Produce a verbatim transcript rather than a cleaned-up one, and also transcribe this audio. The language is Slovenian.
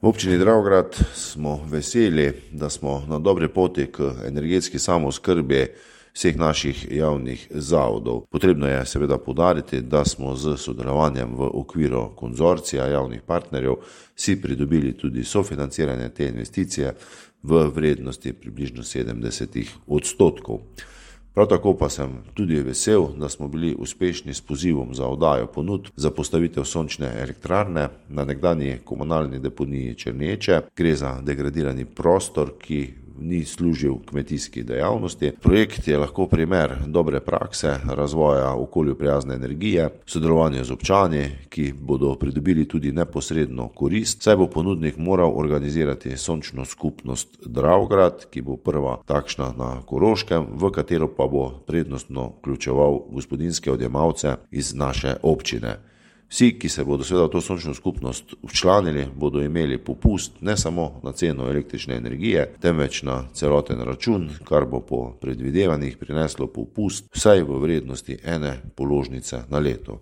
V občini Dravograd smo veseli, da smo na dobri poti k energetski samooskrbi vseh naših javnih zavodov. Potrebno je seveda poudariti, da smo z sodelovanjem v okviru konzorcija javnih partnerjev si pridobili tudi sofinanciranje te investicije v vrednosti približno sedemdeset odstotkov. Prav tako pa sem tudi vesel, da smo bili uspešni s pozivom za oddajo ponudb za postavitev sončne elektrarne na nekdanji komunalni deponiji Črneče. Gre za degradirani prostor, ki ni služil kmetijski dejavnosti. Projekt je lahko primer dobre prakse razvoja okolju prijazne energije, sodelovanje z občani, ki bodo pridobili tudi neposredno korist, saj bo ponudnik moral organizirati sončno skupnost Dravograd, ki bo prva takšna na Koroškem, v katero pa bo prednostno vključeval gospodinjske odjemalce iz naše občine. Vsi, ki se bodo seveda v to sončno skupnost včlanili, bodo imeli popust ne samo na ceno električne energije, temveč na celoten račun, kar bo po predvidevanjih prineslo popust vsaj v vrednosti ene položnice na leto.